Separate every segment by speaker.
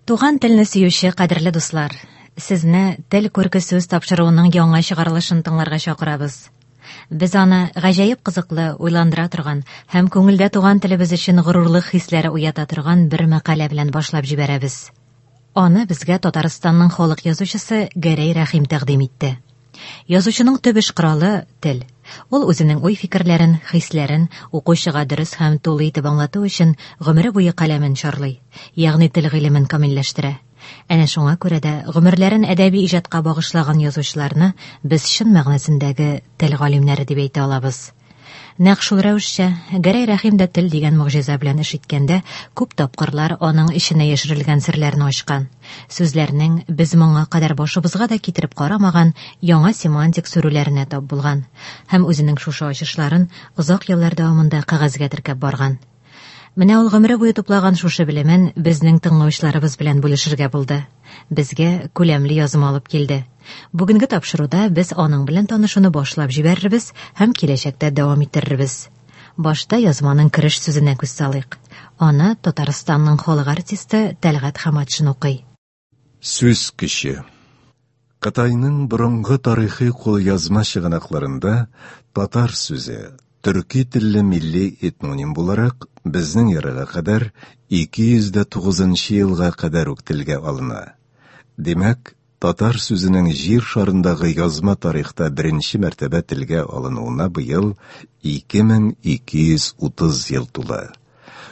Speaker 1: Туган телне сөюче кадерле дуслар, сезне Тел күрке сүз тапшыруының яңа чыгарылышын тыңларга чакырабыз. Без аны гаҗәеп кызыклы, уйландыра торган һәм күңелдә туган телебез өчен горурлык хисләре уята торган бер мәкалә белән башлап җибәрәбез. Аны безгә Татарстанның халык язучысы Гәрәй Рәхим тәкъдим итте. Язучының төп эш коралы тел. Ул үзенең уй-фикерләрен, хисләрен укучыга дөрес һәм тулы итеп аңлату өчен гомере буе каләмен чарлый, ягъни тел гыйлемен камилләштерә. Әнә шуңа күрә дә гомерләрен әдәби иҗатка багышлаган язучыларны без чын мәгънәсендәге тел галимнәре дип әйтә алабыз. Нәкъ шул рәвешчә, Гәрәй Рәхим дә тел дигән могҗиза белән эш иткәндә, күп тапкырлар аның эченә яшерелгән серләрне ачкан. Сүзләрнең без моңа кадәр башыбызга да китереп карамаган яңа семантик сүрүләренә тап булган һәм үзенең шушы ачышларын озак еллар дәвамында кәгазьгә теркәп барган. Менә ул гомере буе туплаган шушы белемен безнең тыңлаучыларыбыз белән бүлешергә булды. Безгә күләмле язма алып килде. Бүгенге тапшыруда без аның белән танышуны башлап җибәрербез һәм киләчәктә дәвам иттерербез. Башта язманың кереш сүзенә күз салыйк. Аны Татарстанның халык артисты Тәлгать Хаматшин укый.
Speaker 2: Сүз көче. Кытайның борынгы тарихи кулъязма чыганакларында татар сүзе төрки телле милли этноним буларак безнең эрага кадәр 209 елга кадәр үк телгә алына. Димәк, татар сүзенең җир шарындагы язма тарихта беренче мәртәбә телгә алынуына быел 2230 ел тула.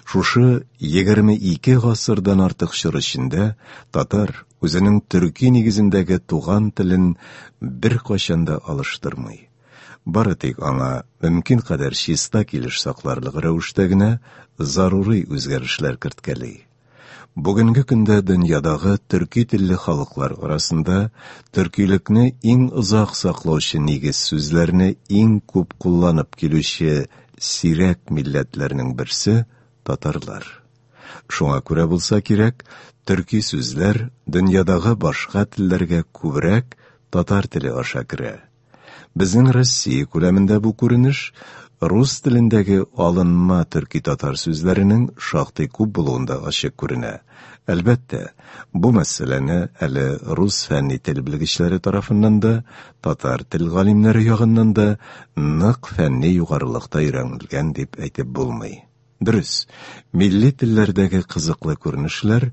Speaker 2: Шушы 22 гасырдан артык чор эчендә татар үзенең төрки нигезендәге туган телен беркайчан да алыштырмый. Бары тик аңа мөмкин кадәр чиста килеш сакларлык рәвештә генә зарури үзгәрешләр керткәли. Бүгенге көндә дөньядагы төрки телле халыклар арасында төркилекне иң озак саклаучы нигез сүзләрне иң күп кулланып килүче сирәк милләтләрнең берсе татарлар. Шуңа күрә булса кирәк, төрки сүзләр дөньядагы башка телләргә күбрәк татар теле аша керә. Безнең Россия күләмендә бу күренеш рус телендәге алынма төрки-татар сүзләренең шактый күп булуында ачык күренә. Әлбәттә, бу мәсьәләне әле рус фәнни тел белгечләре тарафыннан да, татар тел галимнәре ягыннан да нык фәнни югарылыкта өйрәнелгән дип әйтеп булмый. Дөрес, милли телләрдәге кызыклы күренешләр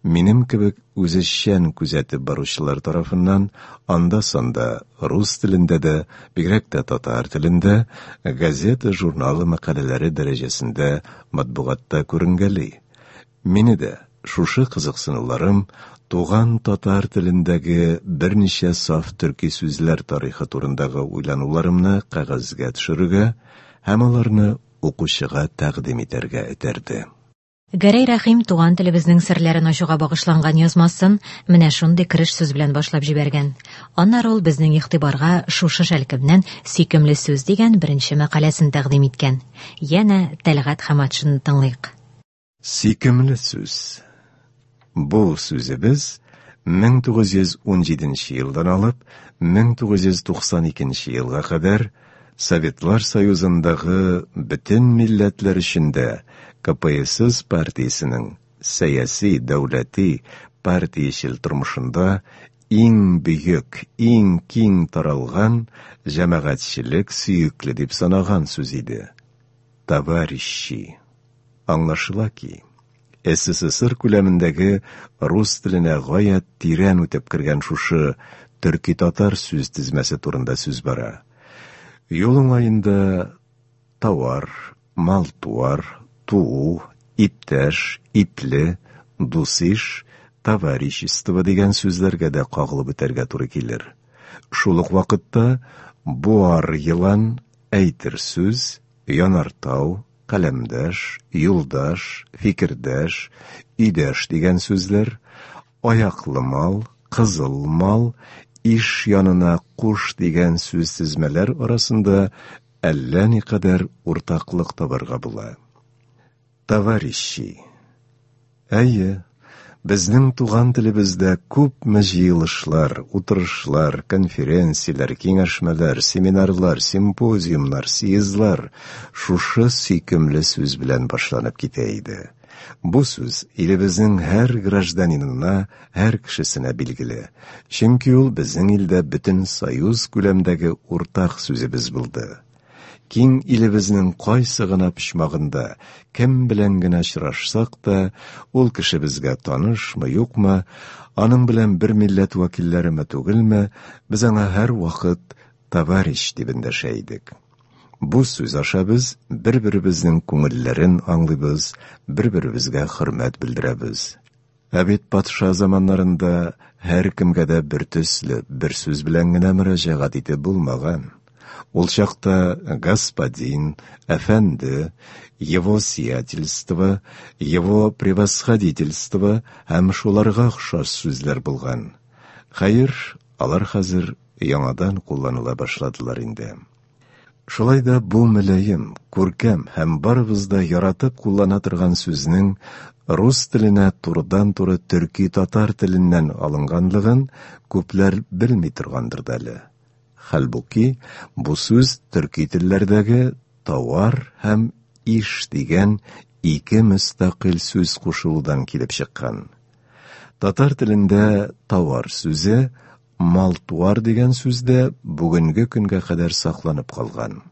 Speaker 2: минем кебек үзешчән күзәтеп баручылар тарафыннан анда-санда рус телендә дә, бигрәк тә татар телендә газета, журнал мәкаләләре дәрәҗәсендә матбугатта күренгәли. Мине дә шушы кызыксынуларым туган татар телендәге берничә саф төрки сүзләр тарихы турындагы уйлануларымны кәгазьгә төшерергә һәм аларны укучыга тәкъдим итәргә этәрде.
Speaker 1: Гәрәй Рәхим туган телебезнең серләрен ачуга багышланган язмасын менә шундый кереш сүз белән башлап җибәргән. Аннары ул безнең игътибарга шушы шәлкемнән Сөйкемле сүз дигән беренче мәкаләсен тәкъдим иткән. Янә Тәлгать Хаматшинны тыңлыйк.
Speaker 2: Сөйкемле сүз. Бу сүзебез 1917 елдан алып 1992 елга кадәр Советлар Союзындагы бөтен милләтләр өчен дә КПСС партиясенең сәяси, дәүләти, партиячел тормышында иң бөек, иң киң таралган җәмәгатьчелек сөекле дип санаган сүз иде. Товарищи. Аңлашыла ки, СССР күләмендәге рус теленә гаять тирән үтеп кергән шушы төрки-татар сүз тезмәсе турында сүз бара. Юл уңаенда тауар, мал-туар, туу, иптәш, ипле, дусиш, товарищество дигән сүзләргә дә кагылып үтәргә туры килер. Шул ук вакытта буар елан, әйтер сүз, янартау, каләмдәш, юлдаш, фикердәш, өйдәш дигән сүзләр, аяклы мал, кызыл мал, иш янына куш дигән сүз тезмәләр арасында әллә никадәр уртаклык табарга була. Товарищи. Әйе, безнең туган телебездә күпме җыелышлар, утырышлар, конференцияләр, киңәшмәләр, семинарлар, симпозиумнар, съездлар шушы сөйкемле сүз белән башланып китә иде. Бу сүз илебезнең һәр гражданинына, һәр кешесенә билгеле. Чөнки ул безнең илдә бөтен союз күләмдәге уртак сүзебез булды. Киң илебезнең кайсы гына почмагында, кем белән генә очрашсак та, ул кеше безгә танышмы, юкмы, аның белән бер милләт вәкилләреме түгелме, без аңа һәрвакыт товарищ дип эндәшә идек. Бу сүз аша без бер-беребезнең күңелләрен аңлыйбыз, бер-беребезгә хөрмәт белдерәбез. Ә бит патша заманнарында һәркемгә дә бер төсле, бер сүз белән генә мөрәҗәгать итеп булмаган. Ул чакта господин, әфәнде, его сиятельство, его превосходительство һәм шуларга охшаш сүзләр булган. Хәер, алар хәзер яңадан кулланыла башладылар инде. Шулай да бу мөлаем, күркәм һәм барыбыз да яратып куллана торган сүзнең рус теленә турыдан-туры төрки-татар теленнән алынганлыгын күпләр белми торгандыр да әле. Хәлбуки, бу сүз төрки телләрдәге тауар һәм иш дигән ике мөстәкыйль сүз кушылудан килеп чыккан. Татар телендә тауар сүзе мал-туар дигән сүз дә бүгенге көнгә кадәр сакланып калган.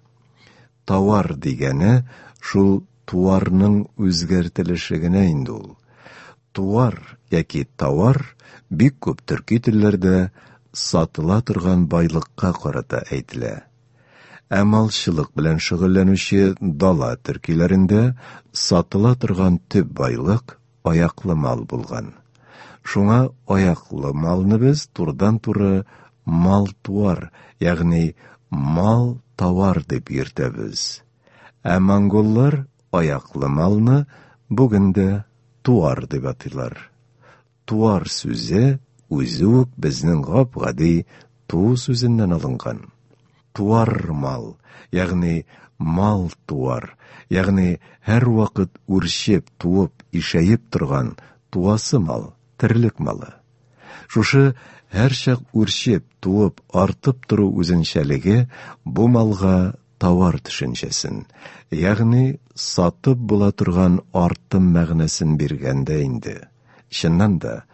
Speaker 2: Тауар дигәне шул туарның үзгәртелеше генә инде ул. Туар яки тауар бик күп төрки телләрдә сатыла торган байлыкка карата әйтелә. Ә малчылык белән шөгыльләнүче дала төркиләрендә сатыла торган төп байлык аяклы мал булган. Шуңа аяклы малны без турыдан-туры мал-туар, ягъни мал-тауар дип йөртәбез. Ә монголлар аяклы малны бүген дә туар дип атыйлар. Туар сүзе үзе үк безнең гап-гади туу сүзеннән алынган. Туар мал, ягъни мал-туар, ягъни һәрвакыт үрчеп, туып, ишәеп торган туасы мал, терлек малы. Шушы һәрчак үрчеп, туып, артып тору үзенчәлеге бу малга тауар төшенчәсен, ягъни сатып була торган артым мәгънәсен биргән дә инде. Чыннан да,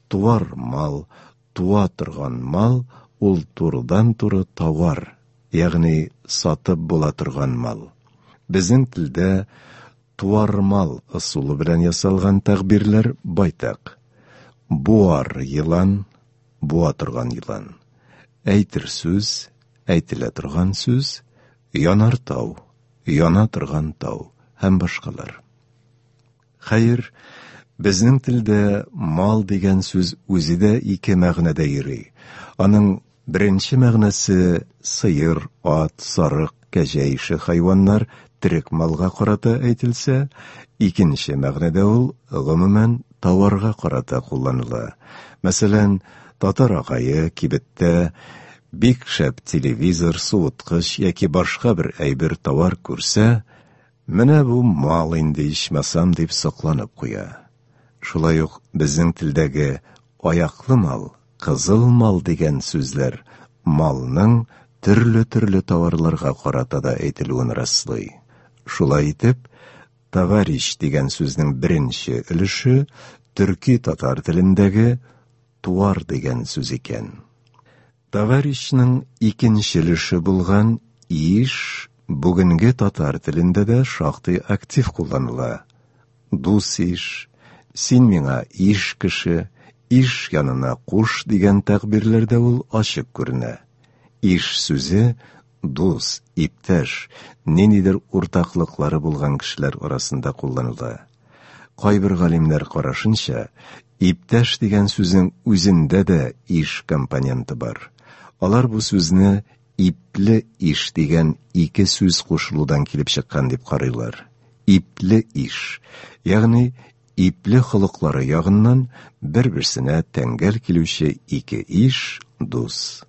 Speaker 2: туар мал, туа торган мал ул турыдан-туры тауар, ягъни сатып була торган мал. Безнең телдә туар мал ысулы белән ясалган тәгъбирләр байтак. Буар елан, буа торган елан. Әйтер сүз, әйтелә торган сүз, янар тау, яна торган тау һәм башкалар. Хәер, безнең телдә мал дигән сүз үзе дә ике мәгънәдә йөри. Аның беренче мәгънәсе сыер, ат, сарык, кәҗә ише хайваннар терек малга карата әйтелсә, икенче мәгънәдә ул гомумән тауарга карата кулланыла. Мәсәлән, татар агае кибеттә бик шәп телевизор, суыткыч яки башка бер әйбер тауар күрсә, менә бу мал инде ичмасам дип сокланып куя. Шулай ук безнең телдәге аяклы мал, кызыл мал дигән сүзләр малның төрле-төрле тауарларга карата да әйтелүен раслый. Шулай итеп, товарищ дигән сүзнең беренче өлеше төрки-татар телендәге туар дигән сүз икән. Товарищның икенче өлеше булган иш бүгенге татар телендә дә шактый актив кулланыла. Дус иш, син миңа иш кеше, иш янына куш дигән тәгъбирләрдә ул ачык күренә. Иш сүзе дус, иптәш, ниндидер уртаклыклары булган кешеләр арасында кулланыла. Кайбер галимнәр карашынча, иптәш дигән сүзнең үзендә дә иш компоненты бар. Алар бу сүзне ипле иш дигән ике сүз кушылудан килеп чыккан дип карыйлар. Ипле иш, ягъни ипле холыклары ягыннан бер-берсенә тәңгәл килүче ике иш, дус.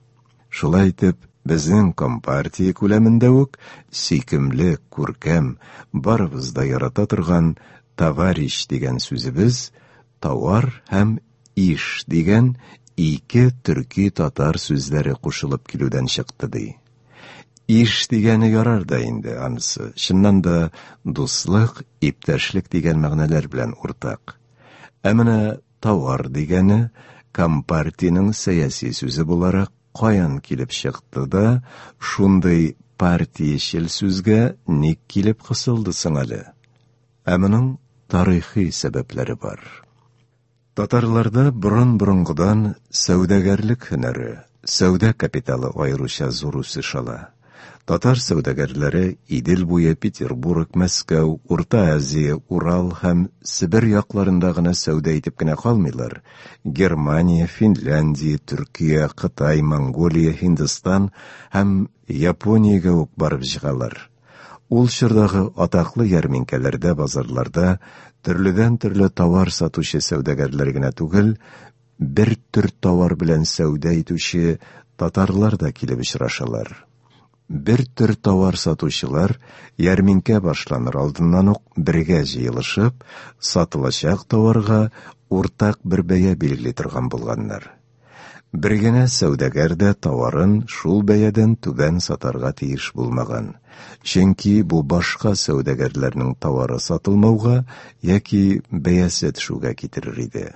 Speaker 2: Шулай итеп, безнең компартия күләмендә үк сөйкемле, күркәм, барыбыз да ярата торган товарищ дигән сүзебез тауар һәм иш дигән ике төрки-татар сүзләре кушылып килүдән чыкты ди. Иш дигәне ярар да инде анысы. Чыннан да дуслык, иптәшлек дигән мәгънәләр белән уртак. Ә менә тауар дигәне компартиянең сәяси сүзе буларак каян килеп чыкты да, шундый партиячел сүзгә ник килеп кысылды соң әле? Ә моның тарихи сәбәпләре бар. Татарларда борын-борынгыдан сәүдәгәрлек һөнәре, сәүдә капиталы аеруча зур үсеш ала. Татар сәүдәгәрләре Идел буе, Петербург, Мәскәү, Урта Азия, Урал һәм Себер якларында гына сәүдә итеп кенә калмыйлар, Германия, Финляндия, Төркия, Кытай, Монголия, Һиндстан һәм Япониягә үк барып чыгалар. Ул чордагы атаклы ярминкәләрдә, базарларда төрледән-төрле товар сатучы сәүдәгәрләр генә түгел, бер төр товар белән сәүдә итүче татарлар да килеп очрашалар. Бер төр товар сатучылар ярминкә башланыр алдыннан ук бергә җыелышып, сатылачак товарга уртак бер бәя билгели торган булганнар. Бер генә сәүдәгәр дә товарын шул бәядән түбән сатарга тиеш булмаган. Чөнки бу башка сәүдәгәрләрнең товары сатылмауга яки бәясе төшүгә китерер иде.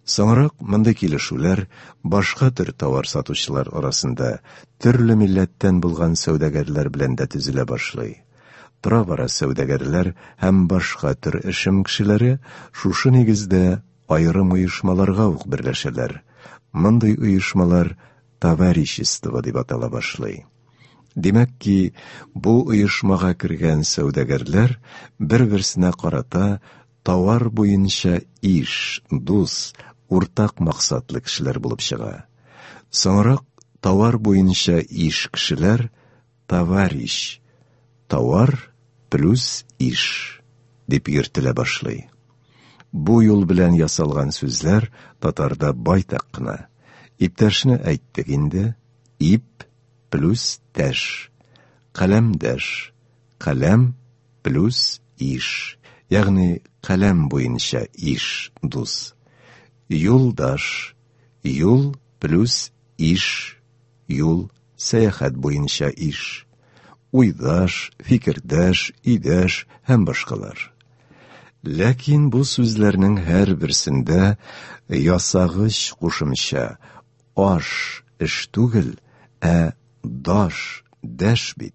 Speaker 2: Соңрак мондый килешүләр башка төр товар сатучылар арасында төрле милләттән булган сәүдәгәрләр белән дә төзелә башлый. Тора-бара сәүдәгәрләр һәм башка төр эшем кешеләре шушы нигездә аерым оешмаларга ук берләшәләр. Мондый оешмалар товарищество дип атала башлый. Димәк ки, бу оешмага кергән сәүдәгәрләр бер-берсенә карата товар буенча иш, дус, уртак максатлы кешеләр булып чыга. Соңрак товар буенча иш кешеләр товарищ, товар плюс иш дип йөртелә башлый. Бу юл белән ясалган сүзләр татарда байтак кына. Иптәшне әйттек инде, ип плюс тәш, каләмдәш, каләм плюс иш, ягъни каләм буенча иш, дус. Юлдаш, юл плюс иш, юл, сәяхәт буенча иш. Уйдаш, фикердәш, өйдәш һәм башкалар. Ләкин бу сүзләрнең һәрберсендә ясагыч кушымча аш эш түгел, ә даш, дәш бит.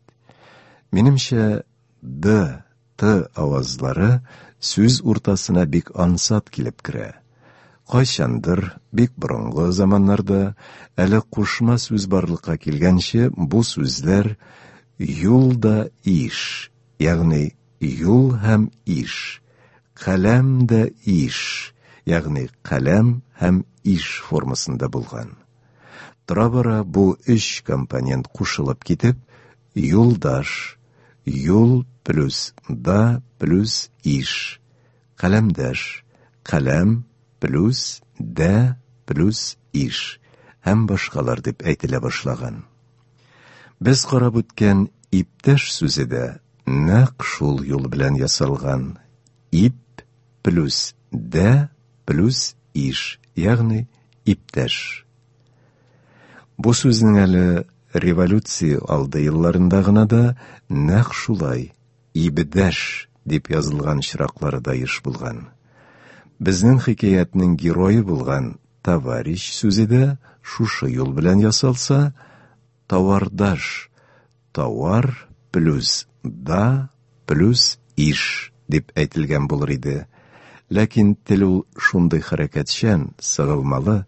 Speaker 2: Минемчә, д, т авазлары сүз уртасына бик ансат килеп керә. Кайчандыр, бик борынгы заманнарда, әле кушма сүз барлыкка килгәнче, бу сүзләр юл да иш, ягъни юл һәм иш, каләм дә иш, ягъни каләм һәм иш формасында булган. Тора-бара бу өч компонент кушылып китеп, юлдаш, юл плюс да плюс иш, каләмдәш, каләм плюс дә плюс иш һәм башкалар дип әйтелә башлаган. Без карап үткән иптәш сүзе дә нәкъ шул юл белән ясалган. Ип плюс дә плюс иш, ягъни иптәш. Бу сүзнең әле революция алды елларында гына да нәкъ шулай ибдәш дип язылган очраклары да еш булган. Безнең хикәятнең герое булган товарищ сүзе дә шушы юл белән ясалса, товардаш, товар плюс да плюс иш дип әйтелгән булыр иде. Ләкин тел ул шундый хәрәкәтчән, сыгылмалы,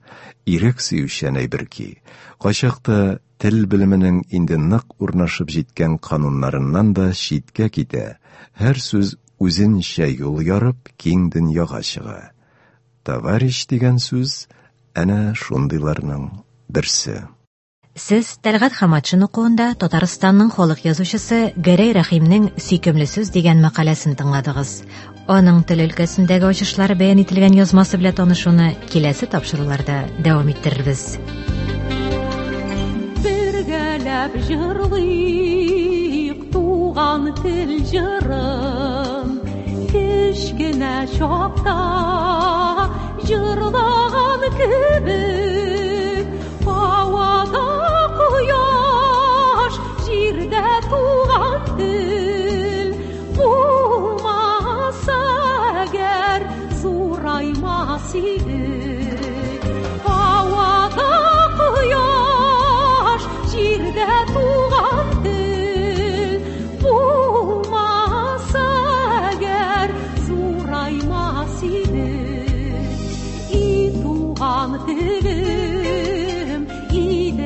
Speaker 2: ирек сөючән әйбер ки, кайчакта тел белеменең инде нык урнашып җиткән кануннарыннан да читкә китә, һәр сүз үзенчә юл ярып, киң дөньяга чыга. Товарищ дигән сүз әнә шундыйларның берсе.
Speaker 1: Сез Тәлгать Хаматшин укуында Татарстанның халык язучысы Гәрәй Рәхимнең Сөйкемле сүз дигән мәкаләсен тыңладыгыз. Аның тел өлкәсендәге ачышлары бәян ителгән язмасы белән танышуны киләсе тапшыруларда дәвам иттерербез.
Speaker 3: Бергәләп җырлыйк туган тел җырын. Кечкенә чакта җырлаган кебек, һавада кояш, җирдә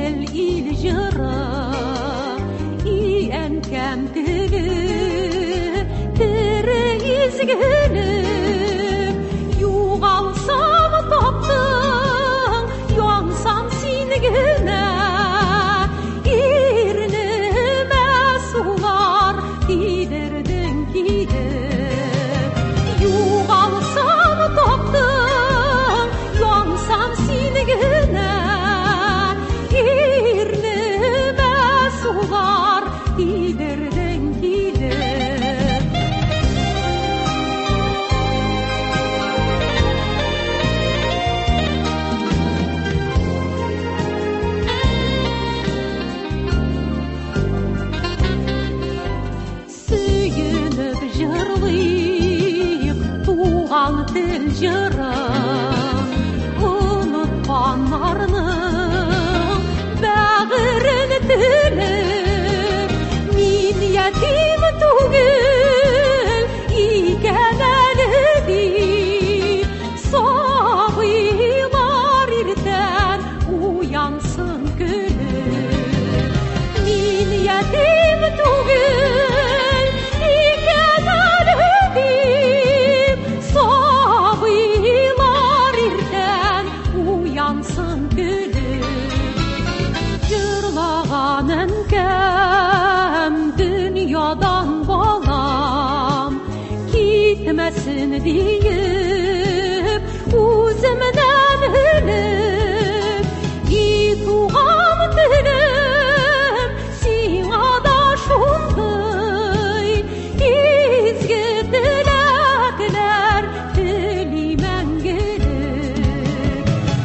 Speaker 3: тел ил җыры. И әнкәм теле, тере изгелек. Югалсам таптың, янсам син генә. Ирнемә сулар тидердең килеп. Югалсам таптың, янсам син генә. Ирнемә сулар тидердең килеп. Сөенеп җырлыйк туган тел җырын, онытканнарның бәгырен телеп. Мин ятим түгел икән әле дип, сабыйлар иртән уянсын көлеп. Мин ятим түгел икән әле дип, сабыйлар иртән уянсын көлеп. Җырлаган әнкәм дөньядан балам китмәсен диеп, үземнән үлеп. И туган телем, сиңа да шундый изге теләкләр телим мәңгелек.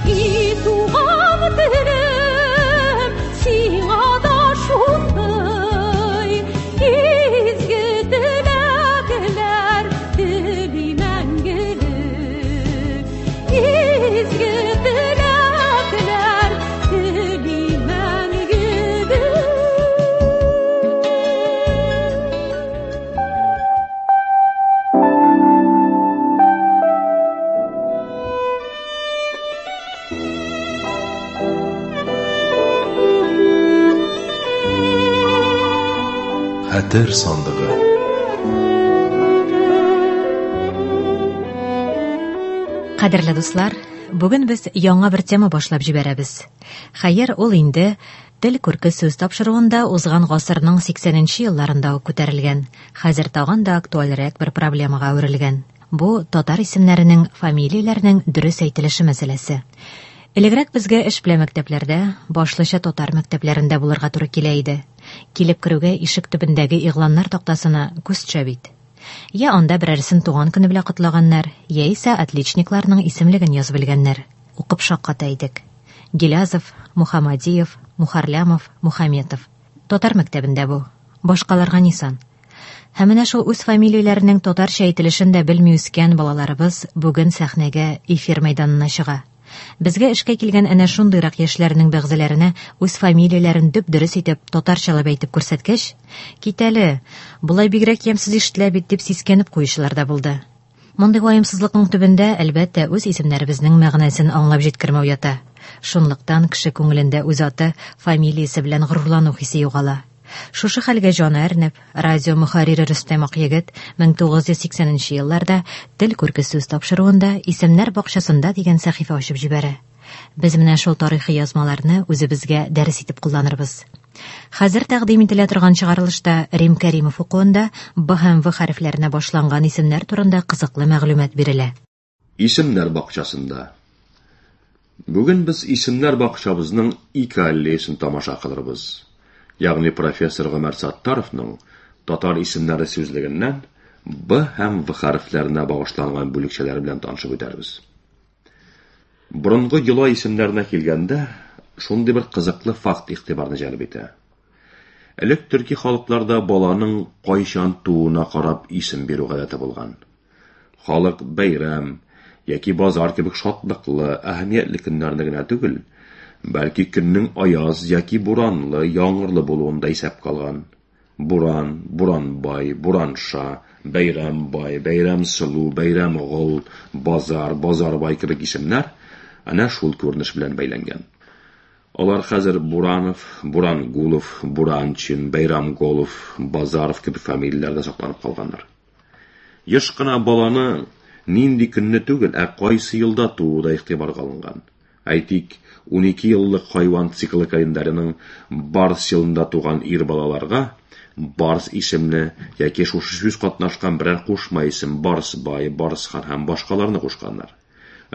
Speaker 3: И туган телем, сиңа да шундый изге теләкләр телим мәңгелек. Изге теләкләр телим мәңгелек.
Speaker 2: Хәтер сандыгы.
Speaker 1: Кадерле дуслар, бүген без яңа бер тема башлап җибәрәбез. Хәер, ул инде Тел күрке сүз тапшыруында узган гасырның 80нче елларында ук күтәрелгән, хәзер тагын да актуальрәк бер проблемага әверелгән. Бу татар исемнәренең, фамилияләрнең дөрес әйтелеше мәсьәләсе. Элегрәк безгә эш белән мәктәпләрдә, башлыча татар мәктәпләрендә булырга туры килә иде. Килеп керүгә ишек төбендәге игъланнар тактасына күз төшә бит. Я анда берәрсен туган көне белән котлаганнар, яисә отличникларның исемлеген язып элгәннәр. Укып шакката идек. Гилязов, Мухаммадиев, Мухарлямов, Мухаметов. Татар мәктәбендә бу. Башкаларга ни сан? Һәм менә шул үз фамилияләренең татарча әйтелешен дә белми үскән балаларыбыз бүген сәхнәгә, эфир мәйданына чыга. Безгә эшкә килгән әнә шундыйрак яшьләрнең бәгъзеләренә үз фамилияләрен дөп-дөрес итеп татарчалап әйтеп күрсәткәч, кит әле, болай бигрәк ямьсез ишетелә бит дип сискәнеп куючылар да булды. Мондый ваемсызлыкның төбендә, әлбәттә, үз исемнәребезнең мәгънәсен аңлап җиткермәү ята. Шунлыктан кеше күңелендә үз аты, фамилиясе белән горурлану хисе югала. Шушы хәлгә җаны әрнеп, радио мөхәррире Рөстәм Акъегет 1980 елларда Тел күрке сүз тапшыруында Исемнәр бакчасында дигән сәхифә ачып җибәрә. Без менә шул тарихи язмаларны үзебезгә дәрес итеп кулланырбыз. Хәзер тәкъдим ителә торган чыгарылышта Рим Кәримов укуында Б һәм В хәрефләренә башланган исемнәр турында кызыклы мәгълүмат бирелә.
Speaker 4: Исемнәр бакчасында. Бүген без исемнәр бакчабызның ике аллеясын тамаша кылырбыз. Ягъни профессор Гомәр Саттаровның татар исемнәре сүзлегеннән Б һәм В хәрефләренә багышланган бүлекчәләр белән танышып үтәрбез. Борынгы йола исемнәренә килгәндә, шундый бер кызыклы факт игътибарны җәлеп итә. Элек төрки халыкларда баланың кайчан тууына карап исем бирү гадәте булган. Халык бәйрәм яки базар кебек шатлыклы, әһәмиятле көннәрне генә түгел, бәлки көннең аяз яки буранлы, яңгырлы булуын да исәпкә алган. Буран, Буранбай, Буранша, Бәйрәмбай, Бәйрәмсылу, Бәйрәмгол, Базар, Базарбай кебек исемнәр әнә шул күренеш белән бәйләнгән. Алар хәзер Буранов, Бурангулов, Буранчин, Бәйрамголов, Базаров кебек фамилияләрдә сакланып калганнар. Еш кына баланы нинди көнне түгел, ә кайсы елда тууы да игътибарга алынган. Әйтик, 12 еллык хайван циклы календарының Барс елында туган ир балаларга Барс исемле яки шушы сүз катнашкан берәр кушма исем Барсбай, Барсхан һәм башкаларны кушканнар.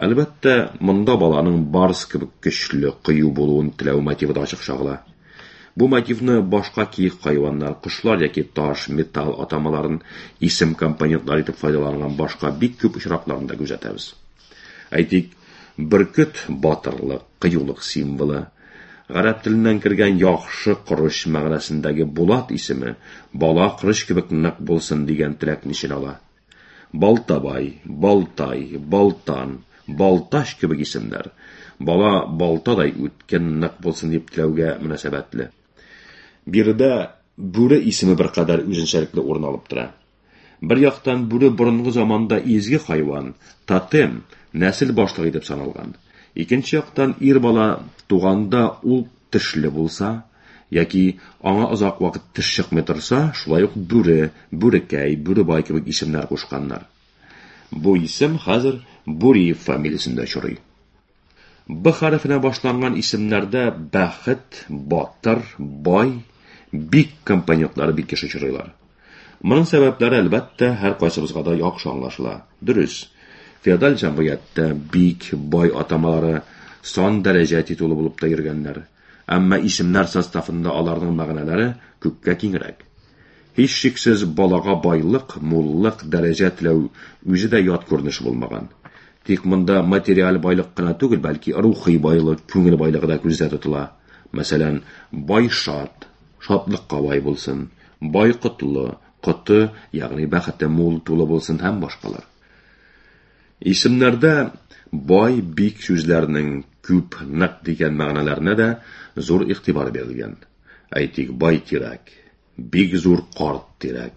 Speaker 4: Әлбәттә, монда баланың барс кебек көчле, кыю булуын теләү мотивы да ачык чагыла. Бу мотивны башка киек хайваннар, кошлар яки таш, металл атамаларын исем компонентлары итеп файдаланган башка бик күп очракларында күзәтәбез. Әйтик, бөркет батырлык, кыюлык символы, гарәп теленнән кергән яхшы корыч мәгънәсендәге Булат исеме бала корыч кебек нык булсын дигән теләкне эченә ала. Балтабай, Балтай, Балтан, Балтач кебек исемнәр бала балтадай үткен, нык булсын дип теләүгә мөнәсәбәтле. Биредә бүре исеме беркадәр үзенчәлекле урын алып тора. Бер яктан бүре борынгы заманда изге хайван, тотем, нәсел башлыгы итеп саналган. Икенче яктан ир бала туганда ул тешле булса, яки аңа озак вакыт теш чыкмый торса, шулай ук бүре, бүрекәй, бүребай кебек исемнәр кушканнар. Бу исем хәзер Буриев фамилиясендә очрый. Б хәрефенә башланган исемнәрдә бәхет, батыр, бай, бик компонентлары бик еш очрыйлар. Моның сәбәпләре, әлбәттә, һәркайсыбызга да яхшы аңлашыла. Дөрес, феодаль җәмгыятьтә бик, бай атамалары сан дәрәҗә титулы булып та йөргәннәр. Әмма исемнәр составында аларның мәгънәләре күпкә киңрәк. Һичшиксез, балага байлык, муллык, дәрәҗә теләү үзе дә ят күренеш булмаган. Тик монда материаль байлык кына түгел, бәлки рухи байлык, күңел байлыгы да күздә тотыла. Мәсәлән, бай шат, шатлыкка бай булсын, бай котлы, коты, ягъни бәхете мул, тулы булсын һәм башкалар. Исемнәрдә бай, бик сүзләренең күп, нык дигән мәгънәләренә дә зур игътибар бирелгән. Әйтик, бай тирәк, бик зур карт тирәк.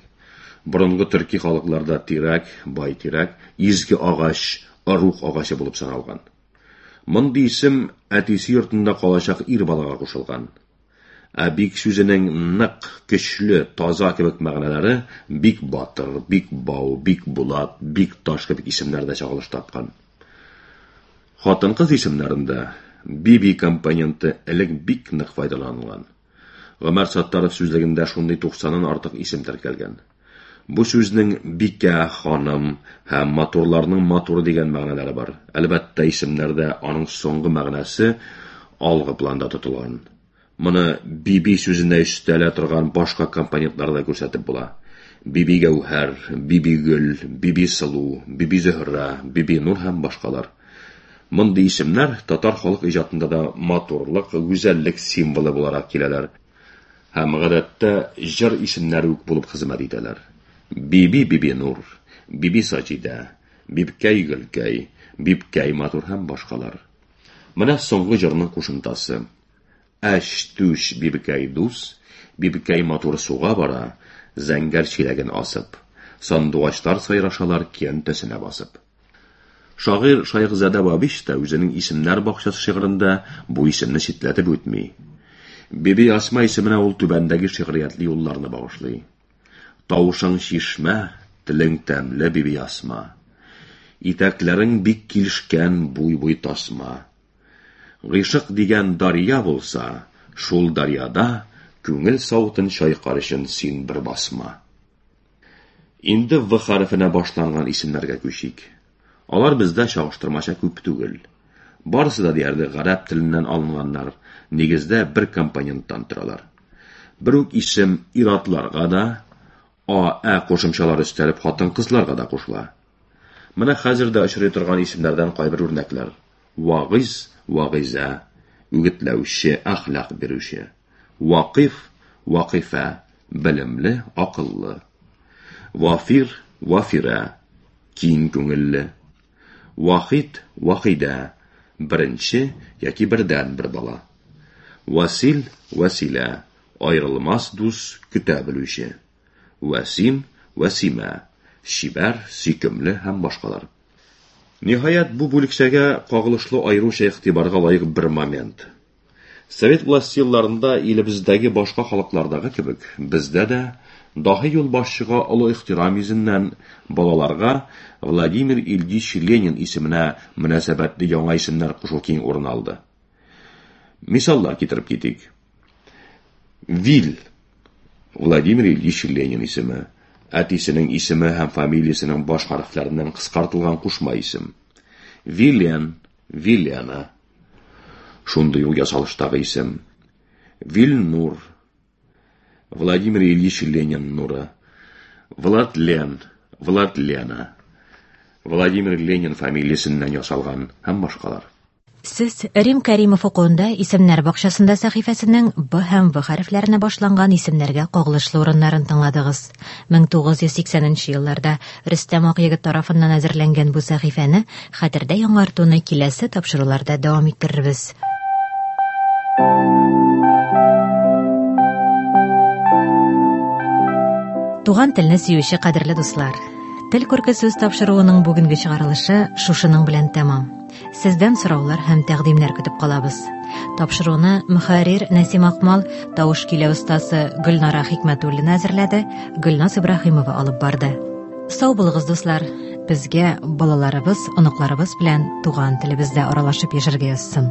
Speaker 4: Борынгы төрки халыкларда тирәк, бай тирәк, изге агач, ыруг агачы булып саналган. Мондый исем әтисе йортында калачак ир балага кушылган. Ә бик сүзенең нык, көчле, таза кебек мәгънәләре бик батыр, бик бау, бик булат, бик таш кебек исемнәрдә чагылыш тапкан. Хатын-кыз исемнәрендә биби компоненты элек бик нык файдаланылган. Гомәр Саттаров сүзлегендә шундый туксаннан артык исем теркәлгән. Бу сүзнең бикә, ханым һәм матурларның матуры дигән мәгънәләре бар. Әлбәттә, исемнәрдә аның соңгы мәгънәсе алгы планда тотылган. Моны биби сүзенә өстәлә торган башка компонентларда күрсәтеп була. Биби Гәүһәр, Биби Гөл, Биби Сылу, Биби Зөһрә, Биби Нур һәм башкалар. Мондый исемнәр татар халык иҗатында да матурлык, гүзәллек символы буларак киләләр һәм гадәттә җыр исемнәре үк булып хезмәт итәләр. Биби Бибинур, Биби Саҗидә, Бибкәй Гөлкәй, Бибкәй Матур һәм башкалар. Менә соңгы җырның кушымтасы. Әч түш Бибкәй дус, Бибкәй матур суга бара, зәңгәр чиләген асып. Сандугачлар сайрашалар көянтәсенә басып. Шагыйрь Шайхзадә Бабич та үзенең Исемнәр бакчасы шигырендә бу исемне читләтеп үтми. Биби Асма исеменә ул түбәндәге шигъриятле юлларны багышлый. Тавышың чишмә, телең тәмле, Биби Асма. Итәкләрең бик килешкән буй-буй тасма. Гыйшык дигән дарья булса, шул дарьяда күңел савытын чайкар өчен син бер басма. Инде В хәрефенә башланган исемнәргә күчик. Алар бездә чагыштырмача күп түгел. Барысы да диярлек гарәп теленнән алынганнар, нигездә бер компоненттан торалар. Бер үк исем ир-атларга да, а, ә кушымчалары өстәлеп хатын-кызларга да кушыла. Менә хәзер дә очрый торган исемнәрдән кайбер үрнәкләр. Вагыйз, Вагыйзә, үгетләүче, әхлак бирүче. Вакыйф, Вакыйфә, белемле, акыллы. Вафир, Вафирә, киң күңелле. Вахит, Вахидә, беренче яки бердәнбер бала. Васил, Вәсилә, аерылмас дус, көтә белүче. Вәсим, Вәсимә, чибәр, сөйкемле һәм башкалар. Ниһаять, бу бүлекчәгә кагылышлы аеруча игътибарга лаек бер момент. Совет власте елларында илебездәге башка халыклардагы кебек, бездә дә даһи юлбашчыга олы ихтирам йөзеннән балаларга Владимир Ильич Ленин исеменә мөнәсәбәтле яңа исемнәр кушу киң урын алды. Мисаллар китереп китик. Вил Владимир Ильич Ленин исеме, әтисенең исеме һәм фамилиясенең баш хәрефләреннән кыскартылган кушма исем. Вилен, Вилена. Шундый ук ясалыштагы исем. Вильнур, Владимир Ильич Ленин нуры. Владлен, Владлена. Владимир Ленин фамилиясеннән ясалган һәм башкалар.
Speaker 1: Сез Рим Кәримов укуында Исемнәр бакчасында сәхифәсенең Б һәм В хәрефләренә башланган исемнәргә кагылышлы урыннарын тыңладыгыз. 1980 нче елларда Рөстәм Акъегет тарафыннан әзерләнгән бу сәхифәне хәтердә яңартуны киләсе тапшыруларда дәвам иттерербез. Туган телне сөюче кадерле дуслар, Тел күрке сүз тапшыруының бүгенге чыгарылышы шушының белән тәмам. Сездән сораулар һәм тәкъдимнәр көтеп калабыз. Тапшыруны мөхәррир Нәсим Акмал, тавыш көйләү остасы Гөлнара Хикмәтуллина әзерләде, Гөлназ Ибраһимова алып барды. Сау булыгыз, дуслар. Безгә балаларыбыз, оныкларыбыз белән туган телебездә аралашып яшәргә язсын.